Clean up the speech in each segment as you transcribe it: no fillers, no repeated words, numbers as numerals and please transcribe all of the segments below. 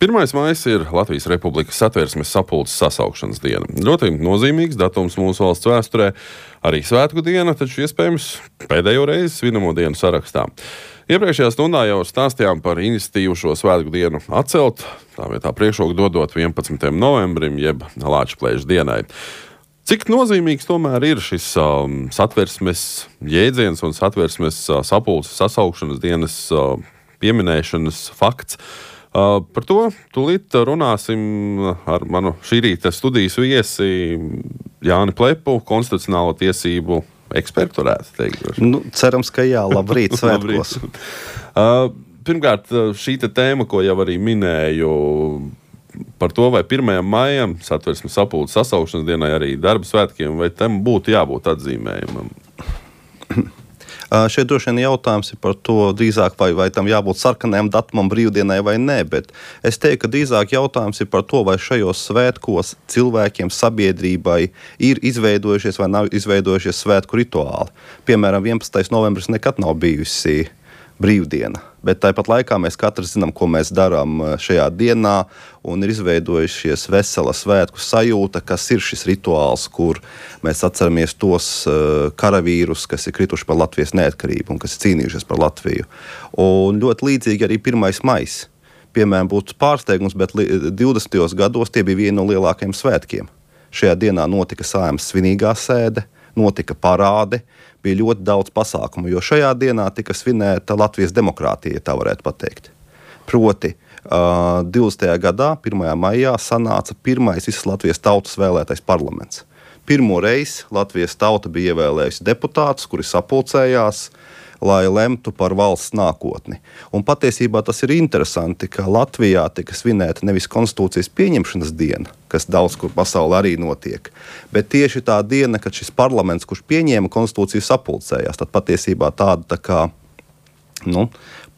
1. maijs ir Latvijas Republikas Satversmes sapulces sasaukšanas diena. Ļoti nozīmīgs datums mūsu valsts vēsturē, arī svētku diena, taču iespējams pēdējo reizi svinamo dienu sarakstā. Iepriekšējā stundā jau stāstījām par iniciatīvu šo svētku dienu atcelt, tā vietā priekšroku dodot 11. novembrim, jeb Lāčplēša dienai. Cik nozīmīgs tomēr ir šis satversmes jēdziens un satversmes sapulces sasaukšanas dienas pieminēšanas fakts? Par to tūlīt runāsim ar manu šī rīta studijas viesi Jāni Plepu, konstitucionālo tiesību ekspertu, varētu teikt. Cerams, ka jā, labrīt, svētkos. Pirmkārt, šī tēma, ko jau arī minēju, par to, vai 1. maijam satversmes sapulces sasaukšanas dienai arī darba svētkiem, vai tam būtu jābūt atzīmējumam? Šeit droši vien jautājums ir par to drīzāk, vai tam jābūt sarkanajam datumam brīvdienai vai nē, bet es teiktu, ka drīzāk jautājums ir par to, vai šajos svētkos cilvēkiem, sabiedrībai ir izveidojušies vai nav izveidojušies svētku rituāli. Piemēram, 11. novembris nekad nav bijusi brīvdiena, bet tāpat laikā mēs katrs zinām, ko mēs darām šajā dienā, un ir izveidojušies vesela svētku sajūta, kas ir šis rituāls, kur mēs atceramies tos karavīrus, kas ir krituši par Latvijas neatkarību un kas ir cīnījušies par Latviju. Un ļoti līdzīgi arī 1. maijs. Piemēram, būtu pārsteigums, bet 20. gados tie bija vieni no lielākajiem svētkiem. Šajā dienā notika Saeimas svinīgā sēde, notika parāde, bija ļoti daudz pasākumu, jo šajā dienā tika svinēta Latvijas demokrātija, tā varētu pateikt. Proti, 20. gadā, 1. maijā, sanāca pirmais visas Latvijas tautas vēlētais parlaments. Pirmo reizi Latvijas tauta bija ievēlējusi deputātus, kuri sapulcējās, lai lemtu par valsts nākotni. Un patiesībā tas ir interesanti, ka Latvijā tika svinēta nevis konstitūcijas pieņemšanas diena, kas daudz kur pasaulē arī notiek, bet tieši tā diena, kad šis parlaments, kurš pieņēma konstitūciju, sapulcējās, tad patiesībā tāda tā kā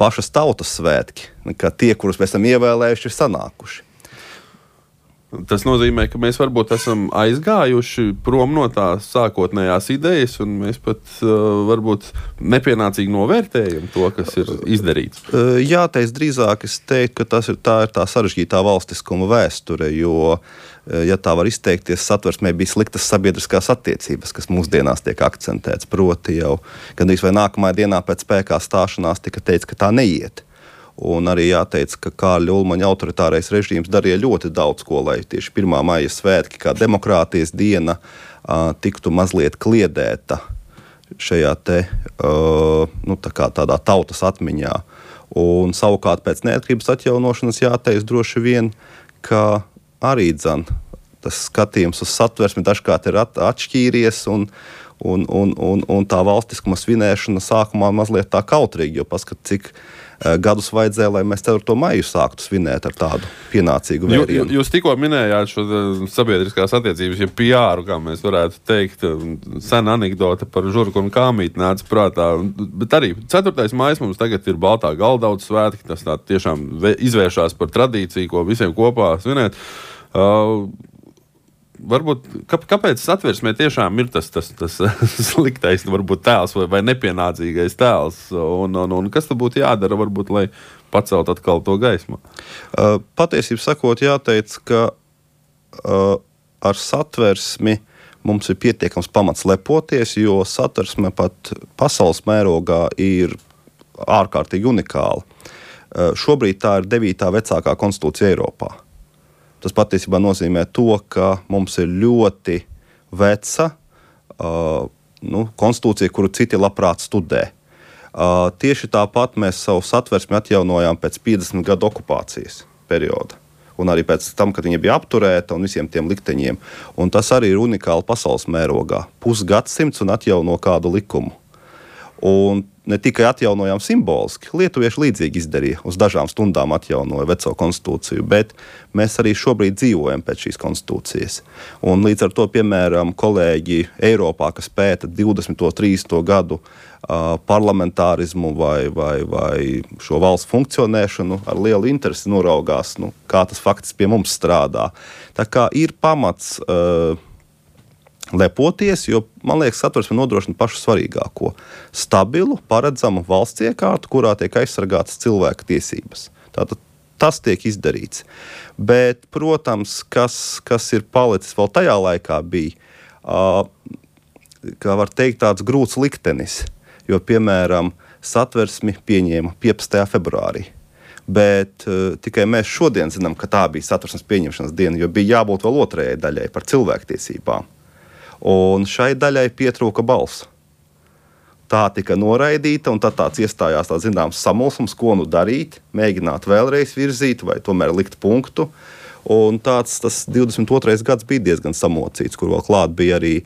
pašas tautas svētki, ka tie, kurus mēs esam ievēlējuši, ir sanākuši. Tas nozīmē, ka mēs varbūt esam aizgājuši prom no tās sākotnējās idejas, un mēs pat varbūt nepienācīgi novērtējam to, kas ir izdarīts. Jāteic drīzāk, es teiktu, ka tā ir tā sarežģītā valstiskuma vēsture, jo, ja tā var izteikties, satversmē bija sliktas sabiedriskās attiecības, kas mūsdienās tiek akcentēts, proti jau gandrīz vai nākamajā dienā pēc spēkā stāšanās tika teikts, ka tā neiet. Un arī jāteic, ka Kārļa Ulmaņa autoritārais režīms darīja ļoti daudz ko, lai tieši 1. maija svētki, kā demokrātijas diena, tiktu mazliet kliedēta šajā tādā tautas atmiņā. Un savukārt pēc neatkarības atjaunošanas jāteic droši vien, ka arī tas skatījums uz satversmi dažkārt ir atšķīries un tā valstiskuma svinēšana sākumā mazliet tā kautrīgi, jo paskat, cik gadus vajadzēja, lai mēs 4. maiju sāktu svinēt ar tādu pienācīgu vērienu. Jūs tikko minējāt šo sabiedriskās attiecības, ja PR, kā mēs varētu teikt, sena anekdote par žurku un kāmīti nāca prātā. Bet arī 4. maijs mums tagad ir Baltā Galdauta svētki, tas tā tiešām izvēršās par tradīciju, ko visiem kopā svinēt. Varbūt, kāpēc satversmē tiešām ir tas sliktais, varbūt tēls vai nepienācīgais tēls, un kas tad būtu jādara, varbūt, lai pacelt atkal to gaismu? Patiesību sakot, jāteic, ka ar satversmi mums ir pietiekams pamats lepoties, jo satversme pat pasaules mērogā ir ārkārtīgi unikāla. Šobrīd tā ir 9. vecākā konstitūcija Eiropā. Tas patiesībā nozīmē to, ka mums ir ļoti veca konstitūcija, kuru citi labprāt studē. Tieši tāpat mēs savu satversmi atjaunojām pēc 50 gadu okupācijas perioda. Un arī pēc tam, kad viņa bija apturēta un visiem tiem likteņiem. Un tas arī ir unikāli pasaules mērogā. Pusgadsimts un atjauno kādu likumu. Un ne tikai atjaunojām simboliski, lietuvieši līdzīgi izdarīja, uz dažām stundām atjaunoja veco konstitūciju, bet mēs arī šobrīd dzīvojam pēc šīs konstitūcijas. Un līdz ar to, piemēram, kolēģi Eiropā, kas pēta 20. 30. gadu parlamentārismu vai šo valsts funkcionēšanu, ar lielu interesi noraugās, kā tas faktiski pie mums strādā. Tā kā ir pamats lepoties, jo, man liekas, satversme nodrošina pašu svarīgāko – stabilu, paredzamu valsts iekārtu, kurā tiek aizsargātas cilvēka tiesības. Tātad Tas tiek izdarīts. Bet, protams, kas ir palicis vēl tajā laikā bija, kā var teikt, tāds grūts liktenis. Jo, piemēram, Satversmi pieņēma 15. februārī. Bet tikai mēs šodien zinām, ka tā bija Satversmes pieņemšanas diena, jo bija jābūt vēl otrajai daļai par cilvēktiesībām. Un šai daļai pietrūka balss. Tā tika noraidīta, un tad tāds iestājās tāds zināms samulsums, ko nu darīt, mēģināt vēlreiz virzīt vai tomēr likt punktu. Un tas 22. gads bija diezgan samocīts, kur vēl klāt bija arī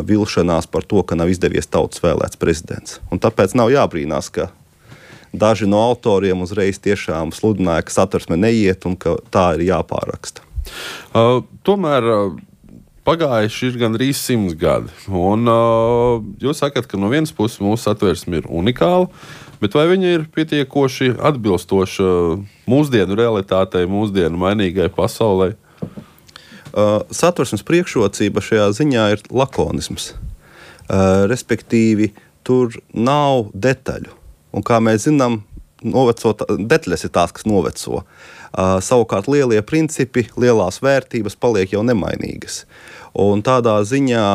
vilšanās par to, ka nav izdevies tautas vēlēts prezidents. Un tāpēc nav jābrīnās, ka daži no autoriem uzreiz tiešām sludināja, ka Satversme neiet un ka tā ir jāpāraksta. Tomēr pagājuši ir gandrīz 100 gadi. Un jūs sakat, ka no vienas puses mūsu Satversme ir unikāla, bet vai viņa ir pietiekoši atbilstoša mūsdienu realitātei, mūsdienu mainīgai pasaulē? Satversmes priekšrocība šajā ziņā ir lakonisms. Respektīvi, tur nav detaļu. Un kā mēs zinām, detaļas ir tās, kas noveco. Savukārt lielie principi, lielās vērtības paliek jau nemainīgas. Un tādā ziņā,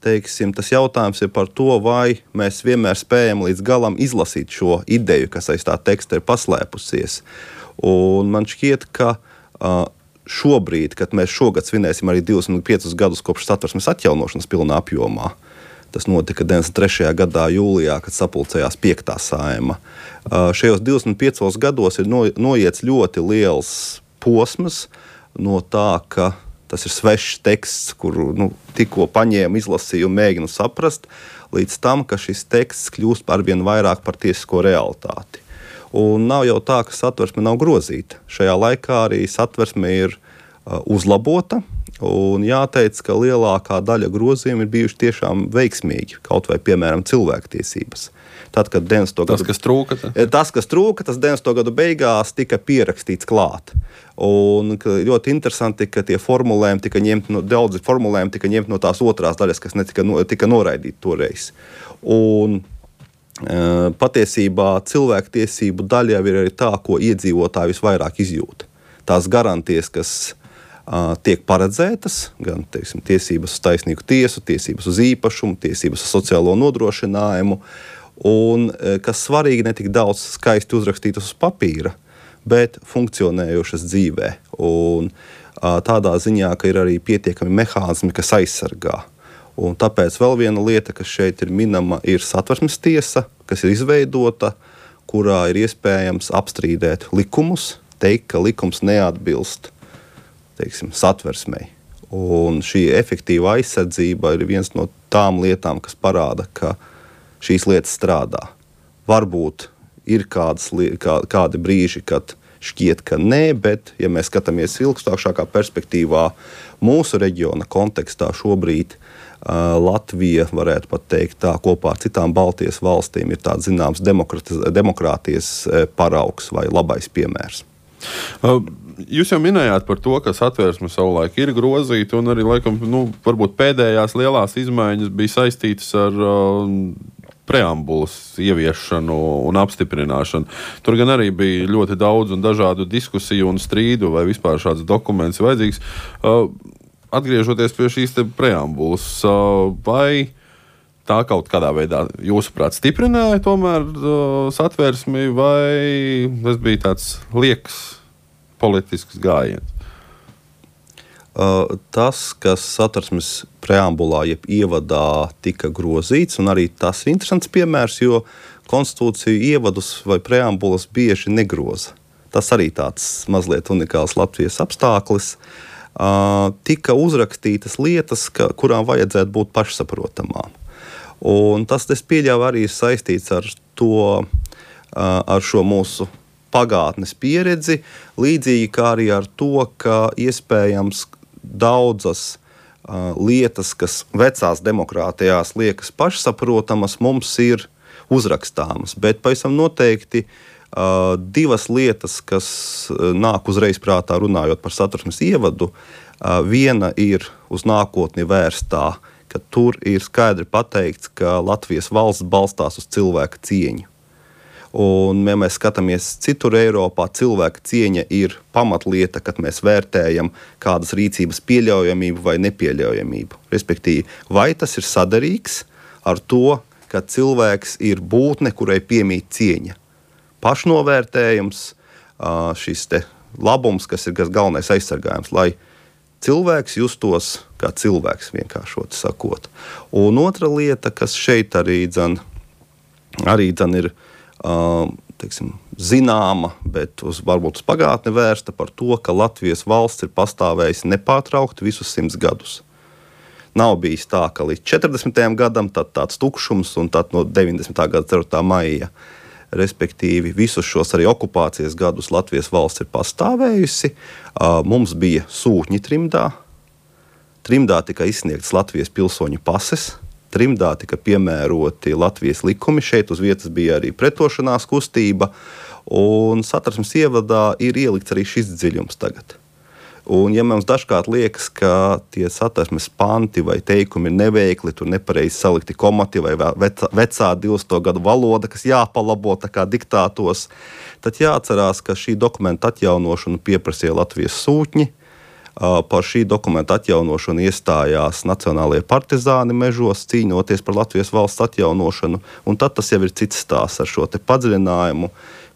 teiksim, tas jautājums ir par to, vai mēs vienmēr spējam līdz galam izlasīt šo ideju, kas aiz tā teksta ir paslēpusies. Un man šķiet, ka šobrīd, kad mēs šogad svinēsim arī 25 gadus kopš Satversmes atjaunošanas pilnā apjomā, tas notika 93. gadā jūlijā, kad sapulcējās 5. Saeima. Šajos 25 gados ir noiets ļoti liels posms no tā, ka tas ir svešs teksts, kuru tikko paņēmu, izlasīju un mēģinu saprast, līdz tam, ka šis teksts kļūst arvien vairāk par tiesisko realitāti. Un nav jau tā, ka Satversme nav grozīta. Šajā laikā arī Satversme ir uzlabota. Un jāteic, ka lielākā daļa grozījumu ir bijuši tiešām veiksmīgi, kaut vai, piemēram, cilvēktiesības. Tad, kad kas trūka? Tas, kas trūka, tas 90. gadu beigās tika pierakstīts klāt. Un ļoti interesanti, ka tie formulējumi tika ņemti daudzi formulējumi tika ņemti no tās otrās daļas, kas tika noraidīti toreiz. Un patiesībā cilvēktiesību daļā ir arī tā, ko iedzīvotāji visvairāk izjūta. Tās garantijas, kas tiek paredzētas, gan teiksim, tiesības uz taisnīgu tiesu, tiesības uz īpašumu, tiesības uz sociālo nodrošinājumu, un kas svarīgi, ne tik daudz skaisti uzrakstītas uz papīra, bet funkcionējošas dzīvē. Un tādā ziņā, ka ir arī pietiekami mehānismi, kas aizsargā. Un tāpēc vēl viena lieta, kas šeit ir minama, ir Satversmes tiesa, kas ir izveidota, kurā ir iespējams apstrīdēt likumus, teikt, ka likums neatbilst Satversmei. Un šī efektīva aizsardzība ir viens no tām lietām, kas parāda, ka šīs lietas strādā. Varbūt ir kādi brīži, kad šķiet, ka nē, bet, ja mēs skatāmies ilgstošākā perspektīvā, mūsu reģiona kontekstā šobrīd Latvija, varētu pat teikt tā, kopā ar citām Baltijas valstīm ir tāds zināms demokrātijas paraugs vai labais piemērs. Jūs jau minējāt par to, ka Satversme savulaik ir grozīta, un arī, laikam, varbūt pēdējās lielās izmaiņas bija saistītas ar preambulas ieviešanu un apstiprināšanu. Tur gan arī bija ļoti daudz un dažādu diskusiju un strīdu, vai vispār šāds dokuments ir vajadzīgs. Atgriežoties pie šīs preambulas, vai tā kaut kādā veidā, jūsuprāt, stiprināja tomēr Satversmi, vai tas bija tāds liekas politisks gājiens? Tas, kas Satversmes preambulā jeb ievadā tika grozīts, un arī tas ir interesants piemērs, jo konstitūciju ievadus vai preambulas bieži negroza. Tas arī tāds mazliet unikāls Latvijas apstākļis. Tika uzrakstītas lietas, kurām vajadzētu būt pašsaprotamām. Un tas, es pieļauju, arī ir saistīts ar šo mūsu pagātnes pieredzi, līdzīgi kā arī ar to, ka iespējams daudzas lietas, kas vecās demokrātijās liekas pašsaprotamas, mums ir uzrakstāmas. Bet pavisam noteikti divas lietas, kas nāk uzreiz prātā runājot par Satversmes ievadu, viena ir uz nākotni vērstā, ka tur ir skaidri pateikts, ka Latvijas valsts balstās uz cilvēka cieņu. Un, ja mēs skatāmies citur Eiropā, cilvēka cieņa ir pamatlieta, kad mēs vērtējam kādas rīcības pieļaujamību vai nepieļaujamību. Respektīvi, vai tas ir sadarīgs ar to, ka cilvēks ir būtne, kurai piemīt cieņa. Pašnovērtējums, šis te labums, kas ir galvenais aizsargājums, lai cilvēks justos kā cilvēks, vienkāršoti sakot. Un otra lieta, kas šeit arī ir teiksim, zināma, bet varbūt uz pagātni vērsta par to, ka Latvijas valsts ir pastāvējusi nepārtraukti visus 100 gadus. Nav bijis tā, ka līdz 40. gadam tad tāds tukšums un tad no 90. gada 4. maija. Respektīvi, visus šos arī okupācijas gadus Latvijas valsts ir pastāvējusi. Mums bija sūtņi trimdā. Trimdā tika izsniegtas Latvijas pilsoņu pases. Trimdā tika piemēroti Latvijas likumi. Šeit uz vietas bija arī pretošanās kustība. Un Satversmes ievadā ir ielikts arī šis dziļums tagad. Un, ja mums dažkārt liekas, ka tie Satversmes panti vai teikumi ir neveikli, tur nepareizi salikti komati vai vecā 200. gadu valoda, kas jāpalabo tā kā diktātos, tad jāatcerās, ka šī dokumenta atjaunošanu pieprasīja Latvijas sūtņi. Par šī dokumenta atjaunošanu iestājās nacionālie partizāni mežos, cīnoties par Latvijas valsts atjaunošanu. Un tad tas jau ir cits stāsts ar šo te padziļinājumu,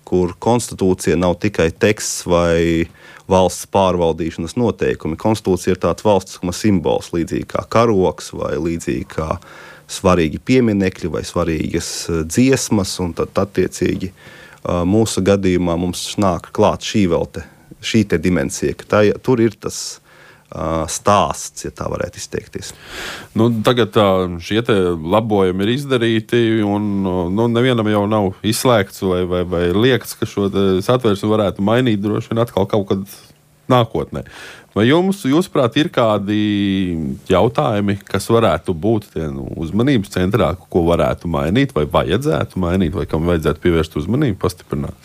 kur konstitūcija nav tikai teksts vai valsts pārvaldīšanas noteikumi. Konstitūcija ir tāds valstiskuma simbols, līdzīgi kā karogs vai līdzīgi kā svarīgi pieminekļi vai svarīgas dziesmas, un tad attiecīgi mūsu gadījumā mums nāk klāt šī te dimensija, ka tur ir tas stāsts, ja tā varētu izteikties. Tagad šie labojumi ir izdarīti, un nevienam jau nav izslēgts vai liekts, ka šo satversmi varētu mainīt droši vien atkal kaut kad nākotnē. Vai jūsuprāt, ir kādi jautājumi, kas varētu būt tie uzmanības centrā, ko varētu mainīt, vai vajadzētu mainīt, vai kam vajadzētu pievērst uzmanību, pastiprināt?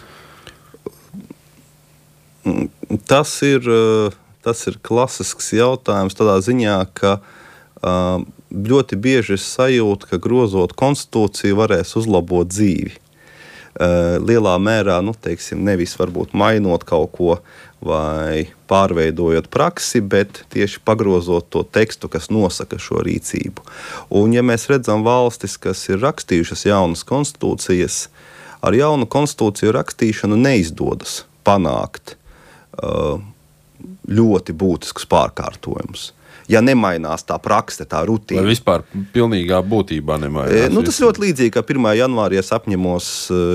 Tas ir klasisks jautājums tādā ziņā, ka ļoti bieži es sajūtu, ka grozot konstitūciju varēs uzlabot dzīvi. Lielā mērā, nevis varbūt mainot kaut ko vai pārveidojot praksi, bet tieši pagrozot to tekstu, kas nosaka šo rīcību. Un ja mēs redzam valstis, kas ir rakstījušas jaunas konstitūcijas, ar jaunu konstitūciju rakstīšanu neizdodas panākt ļoti būtiskus pārkārtojumus. Ja nemainās tā prakse, tā rutīna. Vai vispār pilnīgā būtībā nemainās? Tas ļoti līdzīgi, kā 1. janvārī es apņemos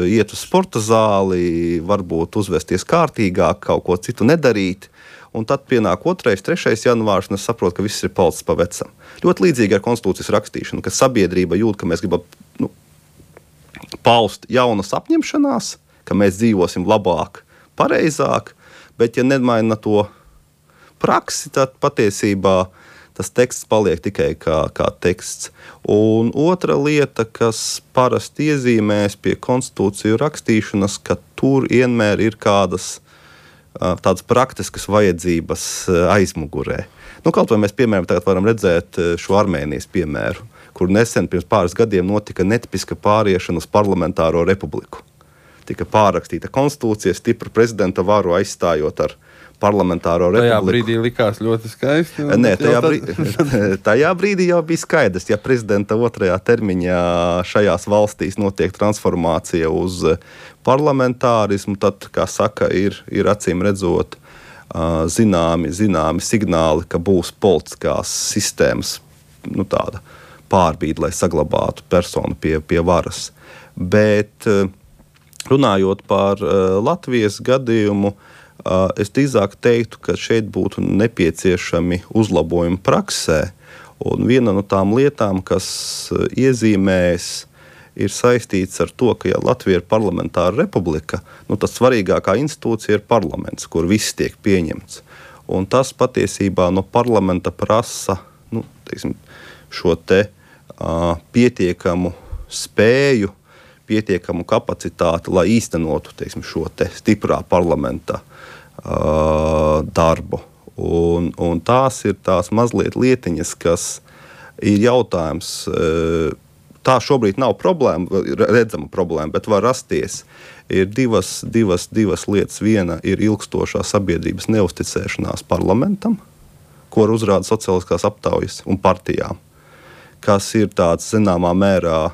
iet uz sporta zāli, varbūt uzvesties kārtīgāk, kaut ko citu nedarīt, un tad pienāk 2., 3. janvārs, un es saprotu, ka viss ir palicis pa vecam. Ļoti līdzīgi ar konstitūcijas rakstīšanu, ka sabiedrība jūt, ka mēs gribam paust jaunas apņemšanās, ka mēs dzīvosim labāk, pareizāk, bet ja nemaina to praksi, tad patiesībā tas teksts paliek tikai kā teksts. Un otra lieta, kas parasti iezīmēs pie konstitūciju rakstīšanas, ka tur vienmēr ir kādas tādas praktiskas vajadzības aizmugurē. Kaut vai mēs, piemēram, tagad varam redzēt šo Armēnijas piemēru, kur nesen pirms pāris gadiem notika netipiska pāriešana uz parlamentāro republiku. Tika pārrakstīta konstitūcija, stipru prezidenta varu aizstājot ar parlamentāro republiku. Tajā brīdī likās ļoti skaisti. Nē, tajā brīdī jau bija skaidrs, ja prezidenta 2. termiņā šajās valstīs notiek transformācija uz parlamentārismu, tad, kā saka, ir acīm redzot zināmi signāli, ka būs politiskās sistēmas tāda pārbīde, lai saglabātu personu pie varas. Bet runājot par Latvijas gadījumu, es drīzāk teiktu, ka šeit būtu nepieciešami uzlabojumi praksē. Un viena no tām lietām, kas iezīmēs, ir saistīts ar to, ka ja Latvija ir parlamentāra republika, tad svarīgākā institūcija ir parlaments, kur viss tiek pieņemts. Un tas patiesībā no parlamenta prasa šo te pietiekamu spēju, pietiekamu kapacitāti, lai īstenotu šo te stiprā parlamenta darbu. Un tās ir tās mazliet lietiņas, kas ir jautājums, tā šobrīd nav problēma, redzama problēma, bet var rasties. Ir divas lietas. Viena ir ilgstošā sabiedrības neusticēšanās parlamentam, ko uzrāda sociāliskās aptaujas un partijām, kas ir tāds zināmā mērā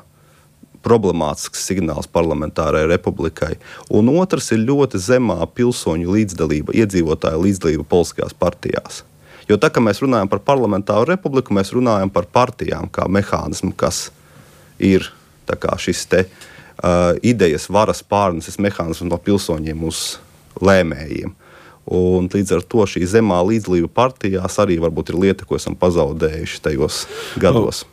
problemātisks signāls parlamentārai republikai. Un otrs ir ļoti zemā pilsoņu līdzdalība, iedzīvotāju līdzdalība politiskajās partijās. Jo tā, ka mēs runājam par parlamentāru republiku, mēs runājam par partijām kā mehānismu, kas ir tā kā šis idejas varas pārneses mehānisms no pilsoņiem uz lēmējiem. Un līdz ar to šī zemā līdzdalība partijās arī varbūt ir lieta, ko esam pazaudējuši tajos gados.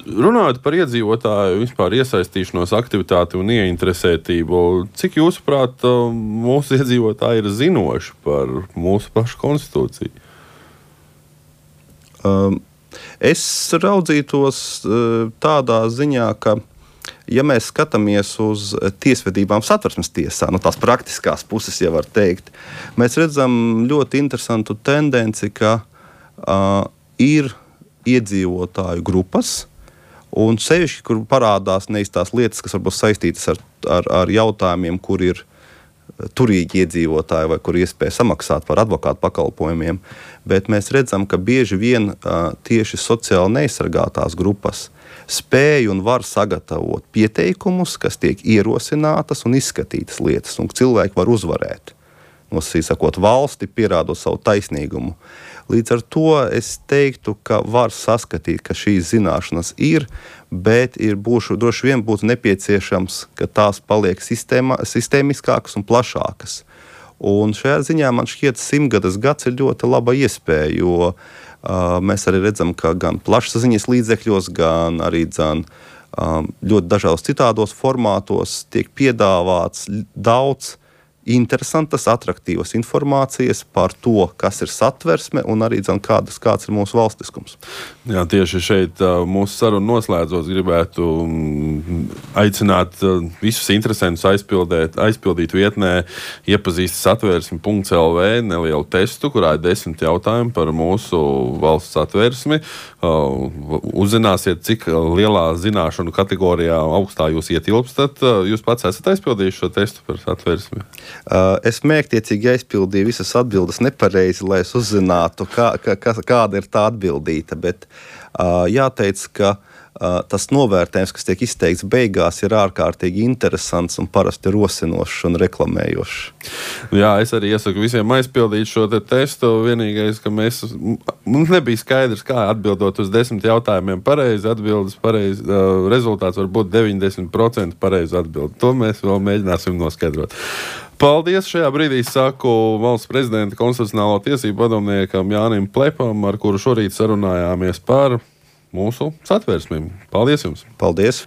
Runājot par iedzīvotāju vispār iesaistīšanos, aktivitāti un ieinteresētību, cik jūsuprāt mūsu iedzīvotāji ir zinoši par mūsu pašu konstitūciju? Es raudzītos tādā ziņā, ka, ja mēs skatāmies uz tiesvedībām Satversmes tiesā, no tās praktiskās puses, ja var teikt, mēs redzam ļoti interesantu tendenci, ka ir iedzīvotāju grupas, un sevišķi, kur parādās neiztās lietas, kas varbūt saistītas ar jautājumiem, kur ir turīgi iedzīvotāji vai kur iespēja samaksāt par advokātu pakalpojumiem, bet mēs redzam, ka bieži vien tieši sociāli neaizsargātās grupas spēj un var sagatavot pieteikumus, kas tiek ierosinātas un izskatītas lietas, un cilvēki var uzvarēt, nosacot valsti, pierādot savu taisnīgumu. Līdz ar to es teiktu, ka var saskatīt, ka šīs zināšanas ir, bet droši vien būtu nepieciešams, ka tās paliek sistēmiskākas un plašākas. Un šajā ziņā man šķiet 100. gads ir ļoti laba iespēja, jo mēs arī redzam, ka gan plašsaziņas līdzekļos, gan arī ļoti dažādos citādos formātos tiek piedāvāts daudz interesantas, atraktīvas informācijas par to, kas ir Satversme un arī kāds ir mūsu valstiskums. Jā, tieši šeit mūsu sarunu noslēdzot gribētu aicināt visus interesantus aizpildīt vietnē iepazīst satversmi.lv nelielu testu, kurā ir 10 jautājumi par mūsu valsts satversmi. Uzzināsiet, cik lielā zināšanu kategorijā augstā jūs ietilpstat. Jūs pats esat aizpildījuši šo testu par satversmi? Es mērķtiecīgi aizpildīju visas atbildes nepareizi, lai es uzzinātu, kāda ir tā atbildīta. Bet jāteic, ka tas novērtējums, kas tiek izteikts beigās, ir ārkārtīgi interesants un parasti rosinošs un reklamējošs. Jā, es arī iesaku visiem aizpildīt šo testu. Vienīgais, ka mums nebija skaidrs, kā atbildot uz 10 jautājumiem pareizi, rezultāts var būt 90% pareizi atbildi. To mēs vēl mēģināsim noskaidrot. Paldies! Šajā brīdī saku valsts prezidenta konstitucionālo tiesību padomniekam Jānim Plepam, ar kuru šorīt sarunājāmies par mūsu satversmēm. Paldies jums! Paldies!